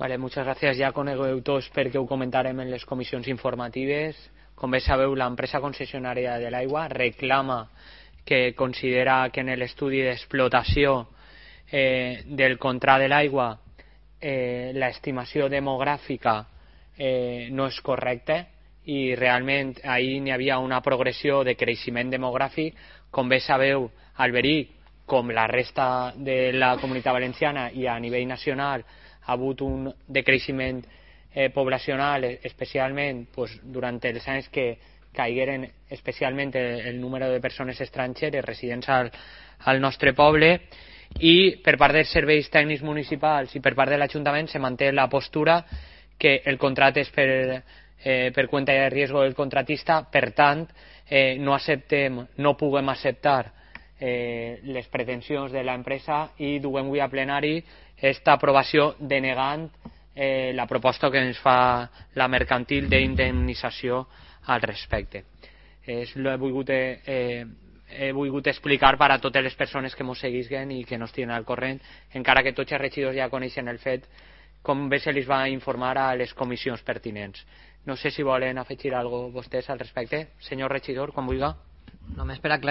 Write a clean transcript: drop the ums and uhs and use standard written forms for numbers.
Vale, muchas gràcies. Ja conegueu tots perquè ho comentarem en les comissions informatives. Com bé sabeu, l'empresa concessionària de l'aigua reclama que considera que en l'estudi d'explotació del contracte de l'aigua l'estimació demogràfica no és correcta i realment ahir n'hi havia una progressió de creixement demogràfic. Com bé sabeu, Alberic, com la resta de la Comunitat Valenciana i a nivell nacional, ha hagut un decreixement poblacional, especialment durant els anys que caigueren especialment el número de persones estrangeres residents al nostre poble, i per part dels serveis tècnics municipals i per part de l'Ajuntament se manté la postura que el contracte és per cuenta de riesgo del contratista. Per tant, no puguem acceptar les pretensions de l'empresa i duem avui a plenari esta aprovació denegant la proposta que ens fa la mercantil d'indemnització al respecte. He volgut explicar per a totes les persones que ens seguisquen i que no estiguin al corrent, encara que tots els regidors ja coneixen el fet, com bé se li va informar a les comissions pertinents. No sé si volen afegir alguna cosa vostès al respecte. Senyor regidor, quan vulgui. Només per aclarir